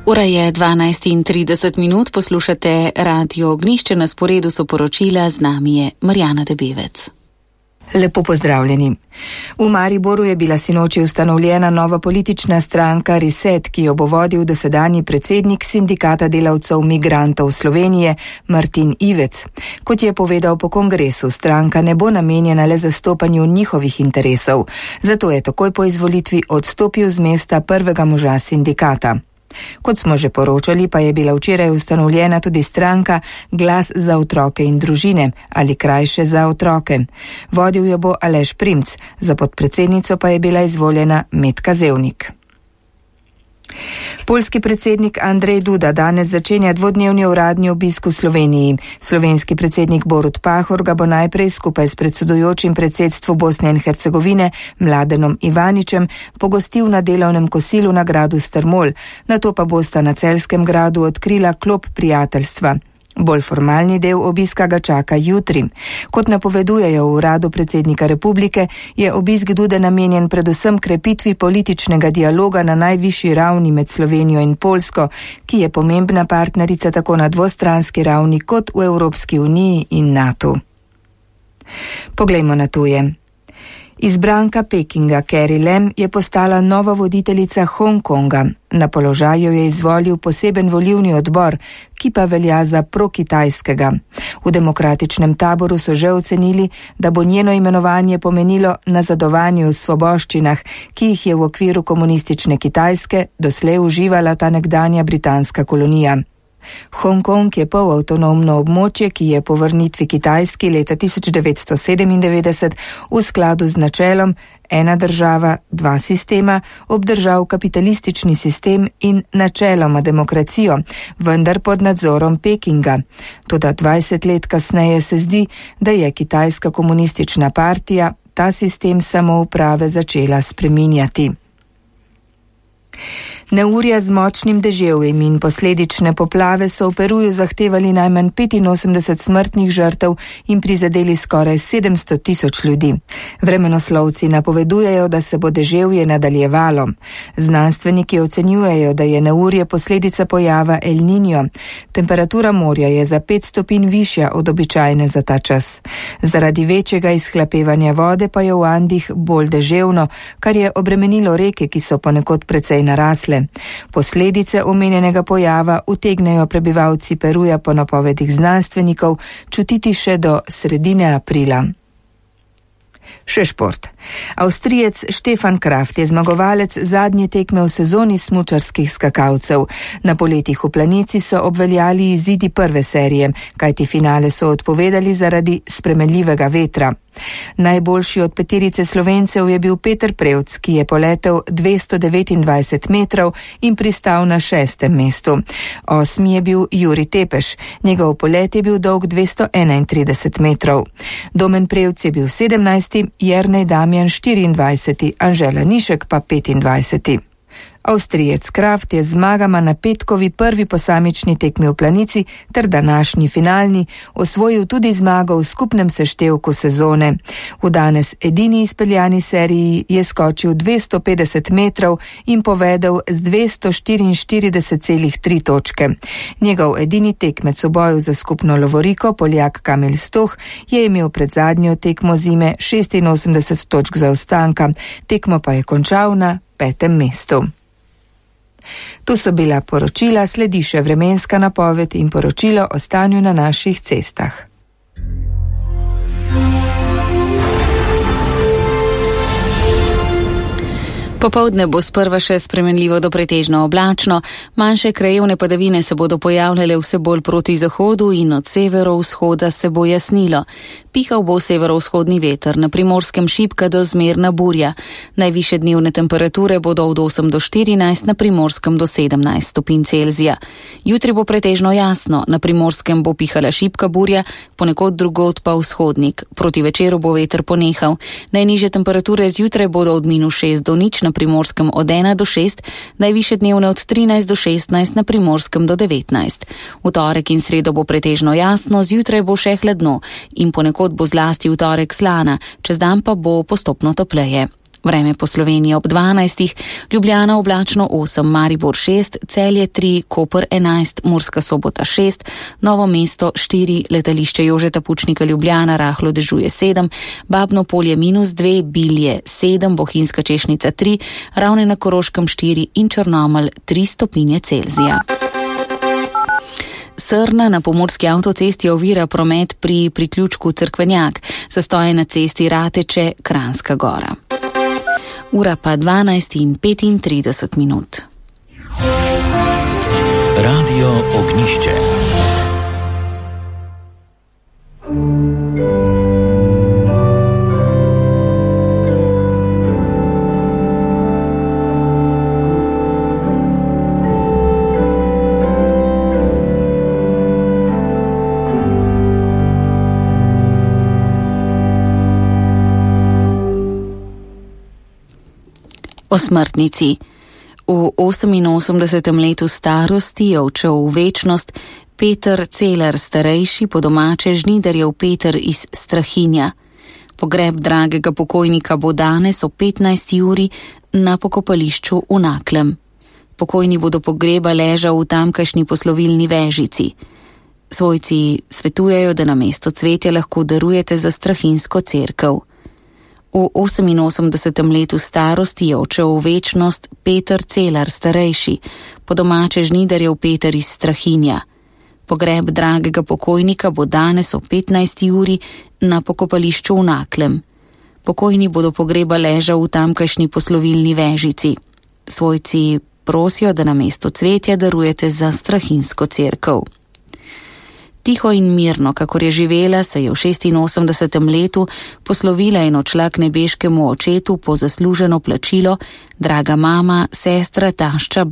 Ura je 12:30, poslušate Radio Ognjišče, na sporedu so poročila, z nami je Marjana Debevec. Lepo pozdravljeni. V Mariboru je bila sinoči ustanovljena nova politična stranka Reset, ki jo bo vodil dosedanji predsednik Sindikata delavcev migrantov Slovenije Martin Ivec. Kot je povedal po kongresu, stranka ne bo namenjena le zastopanju njihovih interesov, zato je takoj po izvolitvi odstopil z mesta prvega moža sindikata. Kot smo že poročali, pa je bila včeraj ustanovljena tudi stranka Glas za otroke in družine, ali krajše Za otroke. Vodil jo bo Aleš Primc, za podpredsednico pa je bila izvoljena Metka Zevnik. Poljski predsednik Andrej Duda danes začenja dvodnevni uradni obisk v Sloveniji. Slovenski predsednik Borut Pahor ga bo najprej skupaj s predsedujočim predsedstvu Bosne in Hercegovine Mladenom Ivaničem pogostil na delovnem kosilu na gradu Strmol, nato pa bosta na Celjskem gradu odkrila klop prijateljstva. Bolj formalni del obiska ga čaka jutri. Kot napovedujejo v uradu predsednika republike, je obisk Dude namenjen predvsem krepitvi političnega dialoga na najvišji ravni med Slovenijo in Poljsko, ki je pomembna partnerica tako na dvostranski ravni kot v Evropski uniji in NATO. Poglejmo na tuje. Izbranka Pekinga Carrie Lam je postala nova voditeljica Hongkonga. Na položaju je izvolil poseben volilni odbor, ki pa velja za prokitajskega. V demokratičnem taboru so že ocenili, da bo njeno imenovanje pomenilo nazadovanje v svoboščinah, ki jih je v okviru komunistične Kitajske doslej uživala ta nekdanja britanska kolonija. Hongkong je polavtonomno območje, ki je po vrnitvi Kitajski leta 1997 v skladu z načelom ena država, dva sistema obdržal kapitalistični sistem in načeloma demokracijo, vendar pod nadzorom Pekinga. Toda 20 let kasneje se zdi, da je Kitajska komunistična partija ta sistem samouprave začela spreminjati. Neurja z močnim deževjem in posledične poplave so v Peruju zahtevali najmanj 85 smrtnih žrtev in prizadeli skoraj 700 tisoč ljudi. Vremenoslovci napovedujejo, da se bo deževje nadaljevalo. Znanstveniki ocenjujejo, da je neurje posledica pojava El Niño. Temperatura morja je za 5 stopinj višja od običajne za ta čas. Zaradi večjega izhlapevanja vode pa je v Andih bolj deževno, kar je obremenilo reke, ki so ponekod precej narasle. Posledice omenjenega pojava utegnejo prebivalci Peruja po napovedih znanstvenikov čutiti še do sredine aprila. Še šport. Avstrijec Stefan Kraft je zmagovalec zadnje tekme v sezoni smučarskih skakalcev. Na poletih v Planici so obveljali izidi prve serije, kajti finale so odpovedali zaradi spremenljivega vetra. Najboljši od peterice Slovencev je bil Peter Prevc, ki je poletel 229 metrov in pristal na 6. mestu. 8. je bil Juri Tepeš, njegov polet je bil dolg 231 metrov. Domen Prevc je bil 17., Jernej Damjan 24., Anžela Nišek pa 25. Avstrijec Kraft je zmagama na petkovi prvi posamični tekmi v Planici ter današnji finalni osvojil tudi zmago v skupnem seštevku sezone. V danes edini izpeljani seriji je skočil 250 metrov in povedel z 244,3 točke. Njegov edini tekmec v boju za skupno lovoriko, Poljak Kamil Stoh, je imel pred zadnjo tekmo zime 86 točk zaostanka, tekmo pa je končal na 5. mestu. Tu so bila poročila, sledi še vremenska napoved in poročilo o stanju na naših cestah. Popoldne bo sprva še spremenljivo do pretežno oblačno, manjše krajevne padavine se bodo pojavljale vse bolj proti zahodu in od severovzhoda se bo jasnilo. Pihal bo severovzhodni veter, na Primorskem šibka do zmerna burja. Najvišje dnevne temperature bodo od 8 do 14, na Primorskem do 17 stopinj Celzija. Jutri bo pretežno jasno, na Primorskem bo pihala šibka burja, ponekod drugod pa vzhodnik. Proti večeru bo veter ponehal. Najnižje temperature zjutraj bodo od -6 do 0, na Primorskem od 1 do 6, najvišje dnevne od 13 do 16, na Primorskem do 19. V torek in sredo bo pretežno jasno, zjutraj bo še hladno in ponekod bo zlasti v torek slana, čez dan pa bo postopno topleje. Vreme po Sloveniji ob 12, Ljubljana oblačno 8, Maribor 6, Celje 3, Koper 11, Murska Sobota 6, Novo mesto 4, letališče Jožeta Pučnika Ljubljana rahlo dežuje 7, Babno Polje -2, Bilje 7, Bohinjska Češnica 3, Ravne na Koroškem 4 in Črnomelj 3 stopinje Celzija. Srna na pomurski avtocesti ovira promet pri priključku Cerkvenjak, zastoje na cesti Rateče, Kranjska Gora. Ura pa 12:35. Radio Ognišče. O smrtnici. V 88. letu starosti je odšel v večnost Peter Celer starejši, po domače Žnidarjev Peter iz Strahinja. Pogreb dragega pokojnika bo danes o 15. uri na pokopališču v Naklem. Pokojni bo do pogreba ležal v tamkajšnji poslovilni vežici. Svojci svetujejo, da namesto cvetja lahko darujete za strahinjsko cerkev. V 88. letu starosti je odšel v večnost Peter Celar starejši, po domače Žnidarjev Peter iz Strahinja. Pogreb dragega pokojnika bo danes o 15. uri na pokopališču v Naklem. Pokojni bo do pogreba ležal v tamkajšnji poslovilni vežici. Svojci prosijo, da namesto cvetja darujete za strahinjsko cerkev. Tiho in mirno, kakor je živela, se je v 86. letu poslovila in odšla k nebeškemu očetu po zasluženo plačilo draga mama, sestra, tašča,